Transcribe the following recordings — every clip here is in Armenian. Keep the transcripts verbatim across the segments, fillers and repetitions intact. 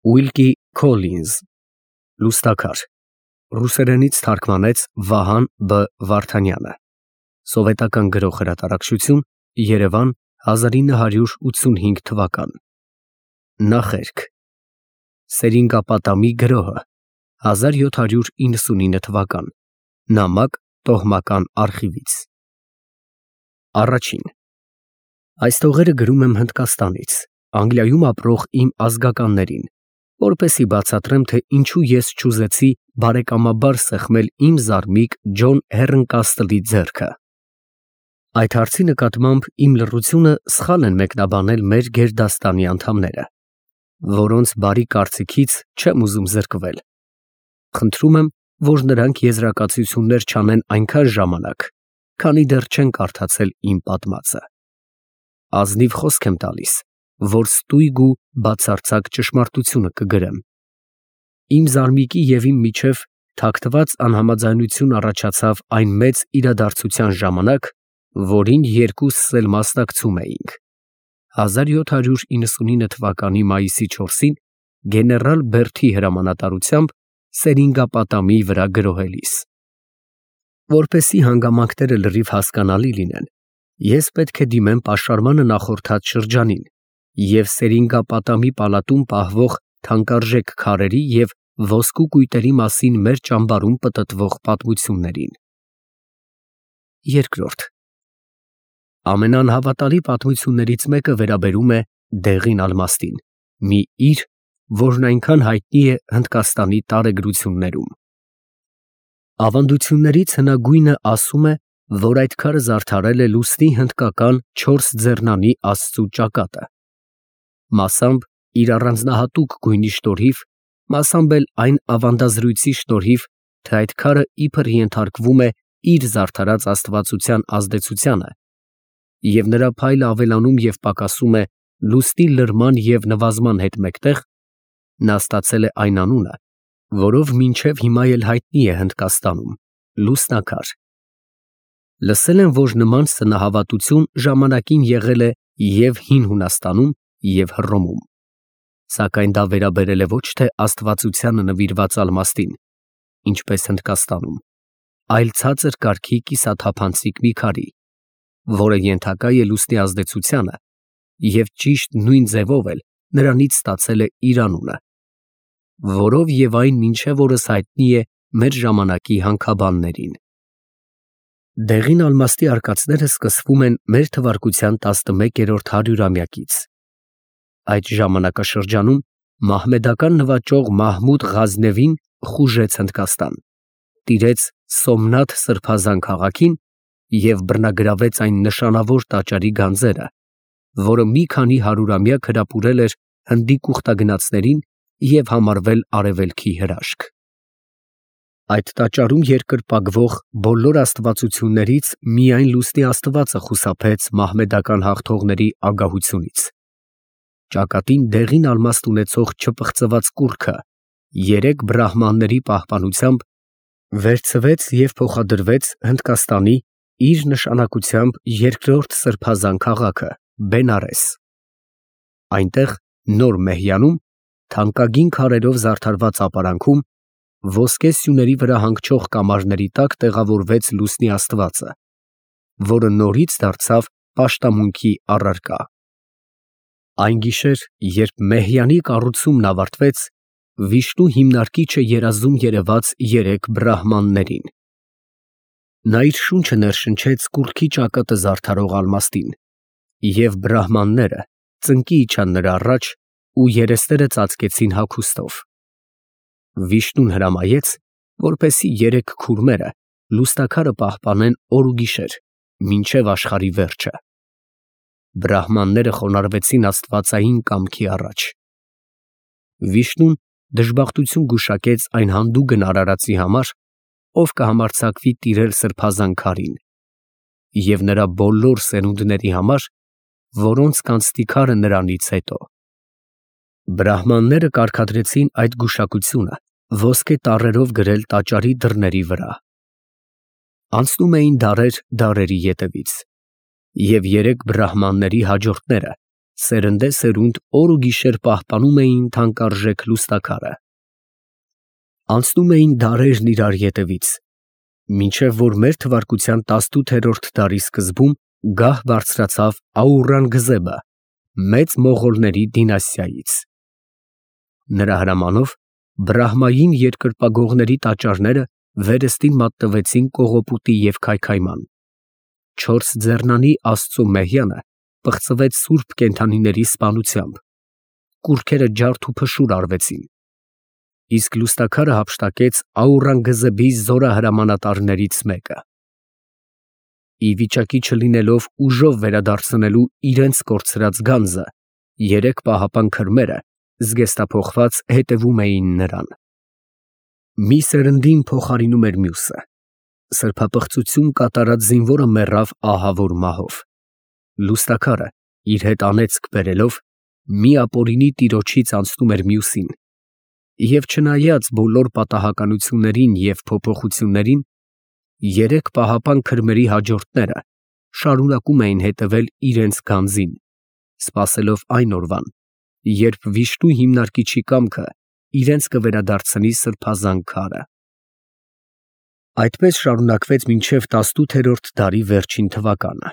Ուիլկի Քոլինզ, Լուստաքար, ռուսերենից թարգմանեց Վահան Բ. Վարդանյանը, Սովետական Գրող Հրատարակչություն, Երևան, հազար ինը հարյուր ութսունհինգ թվական։ Նախերգ Սերինգապատամի գրոհը, հազար յոթ հարյուր իննսունինը թվական, նամակ տոհմական արխիվից։ Առաջին Այս տողերը գրում եմ Հնդկաստանից, Անգլիայում ապրող իմ ազգականներին, որպեսզի բացատրեմ, թե ինչու ես չուզեցի բարեկամաբար սեղմել իմ զարմիկ Ջոն Հեռնկաստլի ձեռքը։ Այդ հարցի նկատմամբ իմ լռությունը սխալ են մեկնաբանել մեր գերդաստանի անդամները, որոնց բարի կարծիքից չեմ ուզում զրկվել։ Խնդրում եմ, որ նրանք եզրակացություններ չանեն այնքան ժամանակ, քանի դեռ չեն կարդացել իմ պատմածը։ Ազնիվ խոսք եմ տալիս, որ ստույգ ու բացարձակ ճշմարտությունը կգրեմ։ Իմ զարմիկի և իմ միջև թաքնված անհամաձայնություն առաջացավ այն մեծ իրադարձության ժամանակ, որին երկուսս էլ մասնակցում էինք։ հազար յոթ հարյուր իննսունինը թվականի մայիսի չորսին գեներալ Բերթի հրամանատարությամբ Սերինգապատամի վրա գրոհելիս։ Որպեսզի հանգամանքները լրիվ հասկանալի լինեն, ես պետք է դիմեմ պաշարմանը նախորդած շրջանին և Սերինգապատամի պալատում պահվող թանկարժեք քարերի և ոսկու կույտերի մասին մեր ճամբարում պտտվող պատմություններին։ Երկրորդ Ամենաանհավատալի պատմություններից մեկը վերաբերում է Դեղին Ալմաստին, մի իր, որն այնքան հայտնի է Հնդկաստանի տարեգրություններում։ Ավանդություններից հնագույնը ասում է, որ այդ քարը զարդարել է լուսնի հնդկական չորս ձեռնանի աստծու ճակատը, մասամբ իր առանձնահատուկ գույնի շնորհիվ, մասամբ էլ այն ավանդազրույցի շնորհիվ, թե այդ քարը իբր ենթարկվում է իր զարդարած աստվածության ազդեցությանը, և նրա փայլը ավելանում և պակասում է լուսնի լրման և նվազման հետ մեկտեղ, նա ստացել է այն անունը, որով մինչև հիմա էլ հայտնի է Հնդկաստանում՝ լուսնաքար։ Լսել եմ, որ նման սնահավատություն ժամանակին եղել է և Հին Հունաստանում, և Հռոմում, սակայն դա վերաբերել է ոչ թե աստվածությանը նվիրված ալմաստին, ինչպես Հնդկաստանում, այլ ցածր կարգի կիսաթափանցիկ մի քարի, որը ենթակա է լուսնի ազդեցությանը և ճիշտ նույն ձևով էլ նրանից ստացել է իր անունը, որով և այն մինչև օրս հայտնի է մեր ժամանակի հանքաբաններին։ Դեղին ալմաստի արկածները սկսվում են մեր թվարկության տասնմեկերորդ հարյուրամյակից։ Այդ ժամանակաշրջանում մահմեդական նվաճող Մահմուդ Ղազնևին խուժեց Հնդկաստան, տիրեց Սոմնաթ սրբազան քաղաքին և բռնագրավեց այն նշանավոր տաճարի գանձերը, որը մի քանի հարյուրամյակ հրապուրել էր Հնդի կուխտագնացներին և համարվել արևելքի հրաշք։ Այդ տաճարում երկրպագվող բոլոր աստվածություններից միայն լուսնի աստվածը խուսափեց մահմեդական հաղթողների ագահությունից։ Ճակատին դեղին ալմաստ ունեցող չպղծված կուռքը երեք բրահմանների պահպանությամբ վերցվեց և փոխադրվեց Հնդկաստանի իր նշանակությամբ երկրորդ սրբազան քաղաքը՝ Բենարես։ Այնտեղ նոր Մեհյանում, թանկագին քարերով զարդարված ապարանքում, ոսկե սյուների վրա հանգչող կամարների տակ տեղավորվեց լուսնի աստվածը, որը նորից դարձավ պաշտամունքի առարկա։ Այն գիշեր, երբ Մեհյանի կառուցումն ավարտվեց, Վիշնու հիմնարկիչը երազում երևաց երեք բրահմաններին։ Նա իր շունչը ներշնչեց կուռքի ճակատը զարդարող ալմաստին, և բրահմանները ծնկի իջան նրա առաջ ու երեսները ծածկեցին հագուստով։ Վիշնուն հրամայեց, որպեսզի երեք քուրմերը լուսնաքարը պահպանեն օր ու գիշեր, մինչև աշխարհի վերջը։ Բրահմանները խոնարհվեցին աստվածային կամքի առաջ։ Վիշնուն դժբախտություն գուշակեց այն հանդուգն արարածի համար, ով կհամարձակվի տիրել սրբազան քարին, և նրա բոլոր սերունդների համար, որոնց կանցնի քարը նրանից հետո։ Բրահմանները կարգադրեցին այդ գուշակությունը ոսկե տառերով գրել տաճարի դռների վրա։ Անցնում էին դարեր դարերի ետևից, և երեք բրահմանների հաջորդները սերնդե սերունդ օր ու գիշեր պահպանում էին թանկարժեք լուստաքարը։ Անցնում էին դարերն իրար ետևից, մինչև որ մեր թվարկության տասնութերորդ դարի սկզբում գահ բարձրացավ Աուրանգզեբը, մեծ մողոլների դինաստիայից։ Նրա հրամանով Բրահմային երկրպագողների տաճարները վերստին մատնվեցին կողոպուտի և քայքայման։ Չորս ձեռնանի Աստծու մեհյանը պղծվեց սուրբ կենդանիների սպանությամբ, կուռքերը ջարդ ու փշուր արվեցին, իսկ լուստաքարը հափշտակեց Աուրանգզեբի զորահրամանատարներից մեկը։ Ի վիճակի չլինելով ուժով վերադարձնելու իրենց կորցրած գանձը, երեք պահապան քրմերը զգեստափոխված հետևում էին նրան։ Մի սերնդին փոխարինում էր մյուսը։ Սրբապղծություն կատարած զինվորը մեռավ ահավոր մահով։ Լուստաքարը իր հետ անեծք բերելով մի ապօրինի տիրոջից անցնում էր մյուսին, և չնայած բոլոր պատահականություններին և փոփոխություններին, երեք պահապան քրմերի հաջորդները շարունակում էին հետևել իրենց գանձին, սպասելով այն օրվան, երբ վիշտու հիմնարկիչի կամքը իրենց կվերադարձնի սրբազան քարը։ Այդպես շարունակվեց մինչև տասնութերորդ դարի վերջին թվականը։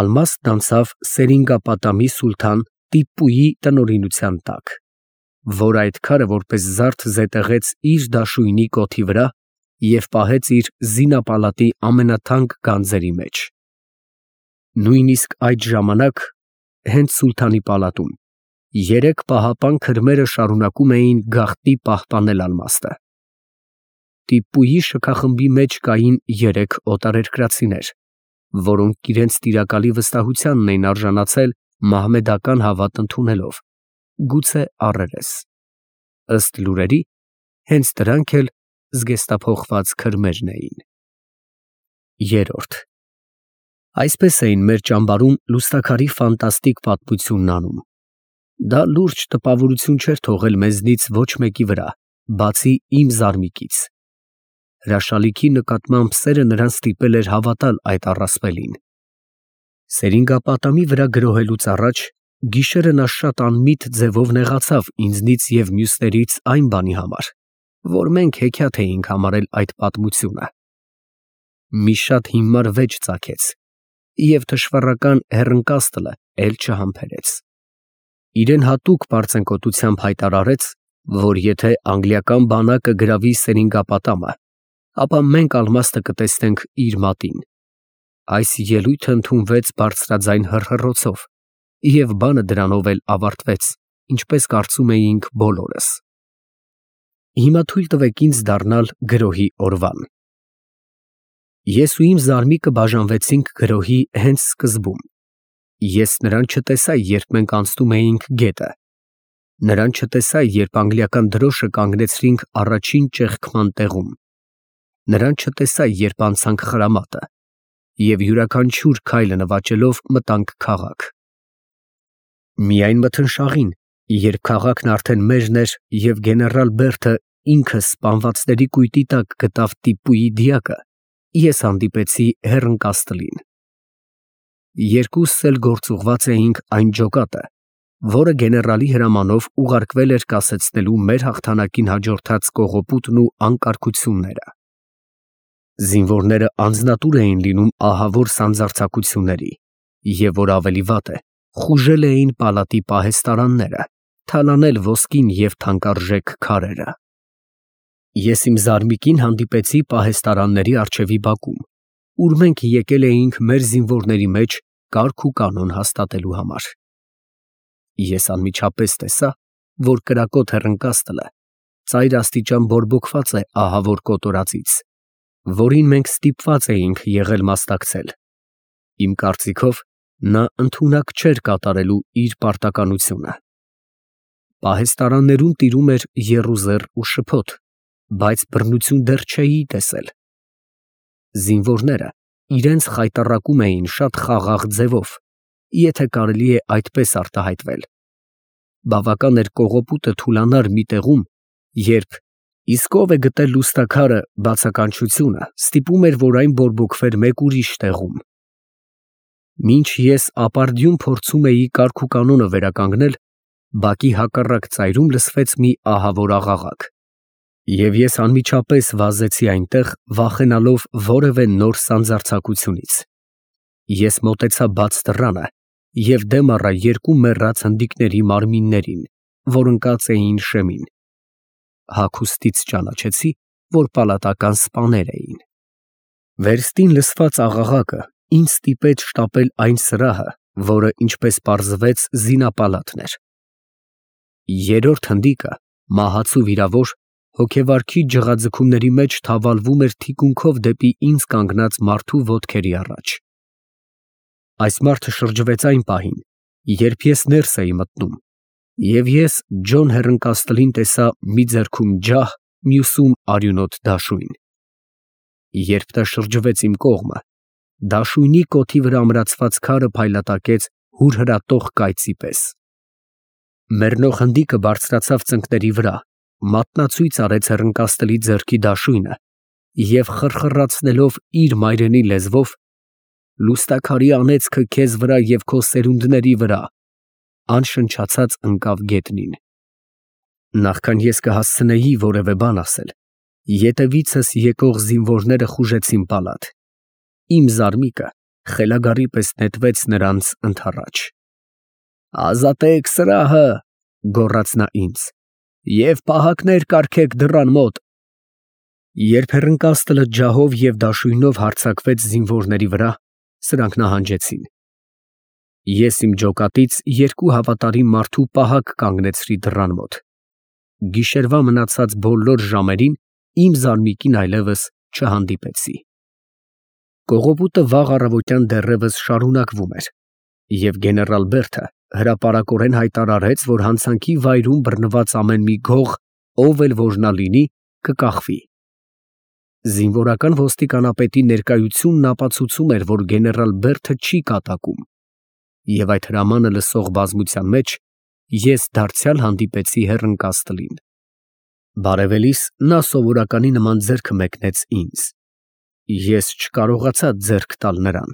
Ալմաստն անցավ Սերինգապատամի սուլթան Տիպպուի տնօրինության տակ, որ այդ քարը որպես զարդ զետեղեց իր դաշույնի կոթի վրա և պահեց իր զինապալատի ամենաթանկ գանձերի մեջ։ Նույնիսկ այդ ժամանակ, հենց սուլթանի պալատում, երեք պահապան քրմերը շարունակում էին գաղտնի պահպանել Ալմաստը։ Տիպպուի շքախմբի մեջ կային երեք օտարերկրացիներ, որոնք իրենց տիրակալի վստահությանն էին արժանացել մահմեդական հավատ ընդունելով, գուցե առերես։ Ըստ լուրերի, հենց դրանք էլ զգեստափոխված քրմերն էին։ Երորդ Այսպես էին մեր ճամբարում լուստաքարի ֆանտաստիկ պատմությունն անում։ Դա լուրջ տպավորություն չէր թողել մեզնից ոչ մեկի վրա, բացի իմ զարմիկից։ Հրաշալիքի նկատմամբ սերը նրան ստիպել էր հավատալ այդ առասպելին։ Սերինգապատամի վրա գրոհելուց առաջ գիշերը նա շատ անմիտ ձևով նեղացավ ինձնից և մյուսներից այն բանի համար, որ մենք հեքիաթ էինք համարել այդ պատմությունը։ Մի շատ հիմար վեճ ծագեց, և թշվառական հեռընկաստլը էլ չհամբերեց։ Իրեն հատուկ պարծենկոտությամբ հայտարարեց, որ եթե անգլիական բանակը գրավի Սերինգապատամը, ապա մենք Ալմաստը կտեսնենք իր մատին։ Այս ելույթը ընդունվեց բարձրաձայն հռհռոցով, և բանը դրանով էլ ավարտվեց, ինչպես կարծում էինք բոլորս։ Հիմա թույլ տվեք ինձ դառնալ գրոհի օրվան։ Ես ու իմ զարմիկը բաժանվեցինք գրոհի հենց սկզբում։ Ես նրան չտեսա, երբ մենք անցնում էինք գետը։ Նրան չտեսա, երբ անգլիական դրոշը կանգնեցրինք առաջին ճեղքման տեղում։ Նրան չտեսա, երբ անցանք խրամատը, և յուրաքանչյուր քայլը նվաճելով մտանք քաղաք։ Միայն մթնշաղին, երբ քաղաքն արդեն մերն էր և գեներալ Բերթը ինքը սպանվածների կույտի տակ գտավ Տիպպուի դիակը, ես հանդիպեցի հեռընկաստլին։ Երկուսս էլ գործուղված էինք այն ջոկատը, որը գեներալի հրամանով ուղարկվել էր կասեցնելու մեր հաղթանակին հաջորդած կողոպուտն ու անկարգությունները։ Զինվորները անձնատուր էին լինում ահավոր սանձարձակությունների, և որ ավելի վատ է, խուժել էին պալատի պահեստարանները, թալանել ոսկին և թանկարժեք քարերը։ Ես իմ զարմիկին հանդիպեցի պահեստարանների առջևի բակում, ուր մենք եկել էինք մեր զինվորների մեջ կարգ ու կանոն հաստատելու համար։ Ես անմիջապես տեսա, որ կրակոտ հեռընկաստլը ծայրաստիճան բորբոքված է ահավոր կոտորածից, որին մենք ստիպված էինք եղել մասնակցել։ Իմ կարծիքով, նա ընդունակ չէր կատարելու իր պարտականությունը։ Պահեստարաններում տիրում էր եռուզեռ ու շփոթ, բայց բռնություն դեռ չէի տեսել։ Զինվորները իրենց խայտառակում էին շատ խաղաղ ձևով, եթե կարելի է այդպես արտահայտվել։ Բավական էր կողոպուտը թուլանար մի տեղում, երբ «Իսկ ո՞վ է գտել լուստաքարը» բացականչությունը ստիպում էր, որ այն բորբոքվեր մեկ ուրիշ տեղում։ Մինչ ես ապարդյուն փորձում էի կարգուկանոնը վերականգնել, բակի հակառակ ծայրում լսվեց մի ահավոր աղաղակ, և ես անմիջապես վազեցի այնտեղ, վախենալով որևէ նոր սանձարձակությունից։ Ես մոտեցա բաց դռանը և դեմ առա երկու մեռած հնդիկների մարմիններին, որ ընկած էին շեմին։ Հագուստից ճանաչեցի, որ պալատական սպաներ էին։ Վերստին լսված աղաղակը ինձ ստիպեց շտապել այն սրահը, որը, ինչպես պարզվեց, զինապալատն էր։ Երրորդ հնդիկը, մահացու վիրավոր, հոգեվարքի ջղաձգումների մեջ թավալվում էր թիկունքով դեպի ինձ կանգնած մարդու ոտքերի առաջ։ Այս մարդը շրջվեց այն պահին, երբ ես ներս էի մտնում, և ես Ջոն Հեռընկաստլին տեսա մի ձեռքում ջահ, մյուսում արյունոտ դաշույն։ Երբ նա շրջվեց իմ կողմը, դաշույնի կոթի վրա ամրացված քարը փայլատակեց հուրհրատող կայծի պես։ Մեռնող հնդիկը բարձրացավ ծնկների վրա, մատնացույց արեց Հեռընկաստլի ձեռքի դաշույնը և խռխռացնելով իր մայրենի լեզվով «Լուստաքարի անեծքը քեզ վրա և քո սերունդների վրա» անշնչացած ընկավ գետնին։ Նախքան ես կհասցնեի որևէ բան ասել, ետևիցս եկող զինվորները խուժեցին պալատ։ Իմ զարմիկը խելագարի պես նետվեց նրանց ընդառաջ։ «Ազատե՛ք սրահը», գոռաց նա ինձ, «և պահակներ կարգեք դռան մոտ»։ Երբ Հեռընկաստլը ջահով և դաշույնով հարձակվեց զինվորների վրա, սրանք նահանջեցին։ Ես իմ ջոկատից երկու հավատարիմ մարդու պահակ կանգնեցրի դռան մոտ։ Գիշերվա մնացած բոլոր ժամերին իմ զարմիկին այլևս չհանդիպեցի։ Կողոպուտը վաղ առավոտյան դեռևս շարունակվում էր, և գեներալ Բերթը հրապարակորեն հայտարարեց, որ հանցանքի վայրում բռնված ամեն մի գող, ով էլ որ նա լինի, կկախվի։ Զինվորական ոստիկանապետի ներկայությունն ապացուցում էր, որ գեներալ Բերթը չի կատակում, և այդ հրամանը լսող բազմության մեջ ես դարձյալ հանդիպեցի Հեռընկաստլին։ Բարևելիս նա սովորականի նման ձեռքը մեկնեց ինձ։ Ես չկարողացա ձեռք տալ նրան։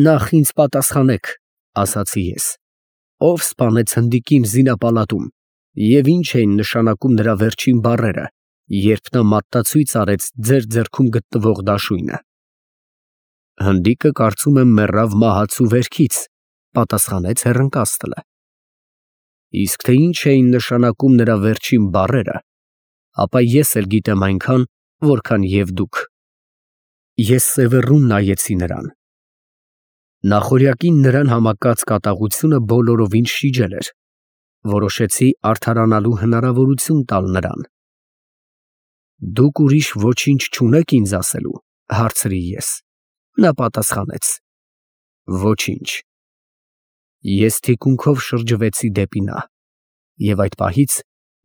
«Նախ ինձ պատասխանեք, ֊ ասացի, ֊ ով սպանեց հնդիկին զինապալատում և ինչ էին նշանակում նրա վերջին բառերը, երբ նա մատնացույց արեց ձեր ձեռքում գտնվող դաշույնը»։ «Հնդիկը, կարծում եմ, մեռավ մահացու վերքից, ֊ պատասխանեց Հեռընկաստլը։ ֊ Իսկ թե ինչ էին նշանակում նրա վերջին բառերը, ապա ես էլ գիտեմ այնքան, որքան և դուք։ Ես սևեռուն նայեցի նրան։ Նախօրյակին նրան համակած կատաղությունը բոլորովին շիջել էր։ Որոշեցի արդարանալու հնարավորություն տալ նրան։ «Դուք ուրիշ ոչինչ չունե՞ք ինձ ասելու, ֊ հարցրի ես։ Նա պատասխանեց. «Ոչինչ»։ Ես թիկունքով շրջվեցի դեպի նա, և այդ պահից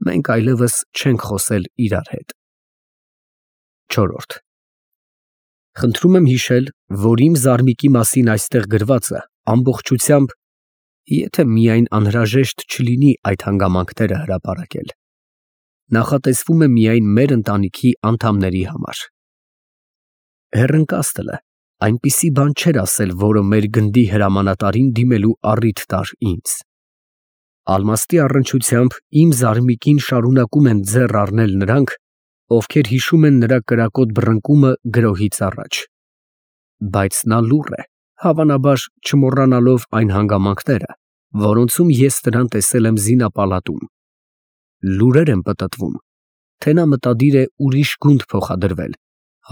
մենք այլևս չենք խոսել իրար հետ։ Չորրորդ Խնդրում եմ հիշել, որ իմ զարմիկի մասին այստեղ գրվածը ամբողջությամբ, եթե միայն անհրաժեշտ չլինի այդ հանգամանքները հրապարակել, նախատեսվում է միայն մեր ընտանիքի անդամների համար։ Հեռընկաստլը այնպիսի բան չէր ասել, որը մեր գնդի հրամանատարին դիմելու առիթ տար ինձ։ Ալմաստի առնչությամբ իմ զարմիկին շարունակում են ձեռ առնել նրանք, ովքեր հիշում են նրա կրակոտ բռնկումը գրոհից առաջ։ Բայց նա լուռ է, հավանաբար չմոռանալով այն հանգամանքները, որոնցում ես նրան տեսել եմ զինապալատում։ Լուրեր են պտտվում, թե նա մտադիր է ուրիշ գունդ փոխադրվել,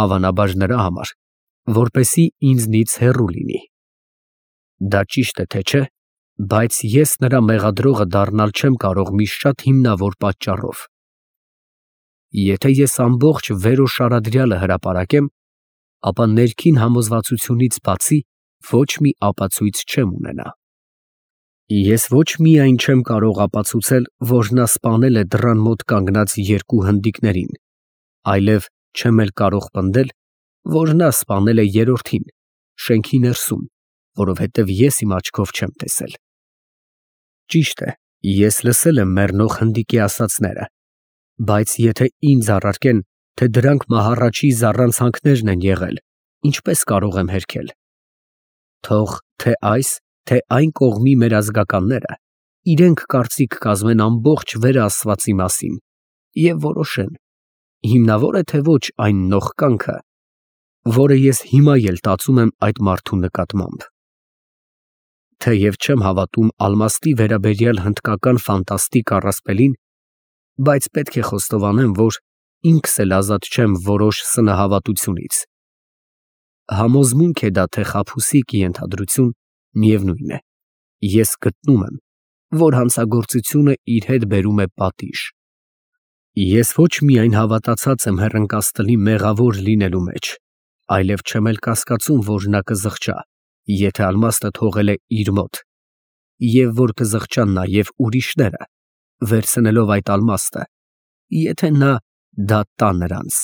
հավանաբար նրա համար, որպեսզի ինձնից հեռու լինի։ Դա ճիշտ է, թե չէ, բայց ես նրա մեղադրողը դառնալ չեմ կարող մի շատ հիմնավոր պատճառով։ Եթե ես ամբողջ վերոշարադրյալը հրապարակեմ, ապա ներքին համոզվածությունից բացի ոչ մի ապացույց չեմ ունենա։ Ես ոչ միայն չեմ կարող ապացուցել, որ նա սպանել է դռան մոտ կանգնած երկու հնդիկներին, այլև չեմ էլ կարող պնդել, որ նա սպանել է երրորդին, շենքի ներսում, որովհետև ես իմ աչքով չեմ տեսել։ Ճիշտ է, ես լսել եմ մեռնող հնդիկի ասածները, բայց եթե ինձ առարկեն, թե դրանք մահառաչի զառանցանքներն են եղել, ինչպե՞ս կարող եմ հերքել։ Թող թե այս, թե այն կողմի մեր ազգականները իրենք կարծիք կազմեն ամբողջ վերաստվածի մասին և որոշեն, հիմնավո՞ր է, թե ոչ այն նողկանքը, որը ես հիմա էլ տածում եմ այդ մարդու նկատմամբ։ Թեև չեմ հավատում ալմաստի վերաբերյալ հնդկական ֆանտաստիկ առասպելին, բայց պետք է խոստովանեմ, որ ինքս էլ ազատ չեմ որոշ սնահավատությունից։ Համոզմունք է դա, թե խաբուսիկ ենթադրություն, միևնույն է, ես գտնում եմ, որ հանցագործությունը իր հետ բերում է պատիժ։ Ես ոչ միայն հավատացած եմ հեռընկածտլի մեղավոր լինելու մեջ, այլև չեմ էլ կասկածում, որ նա կզղջա, եթե ալմաստը թողել է իր մոտ, և որ կզղջան նաև ուրիշները, վերցնելով այդ ալմաստը, եթե նա դա տա նրանց։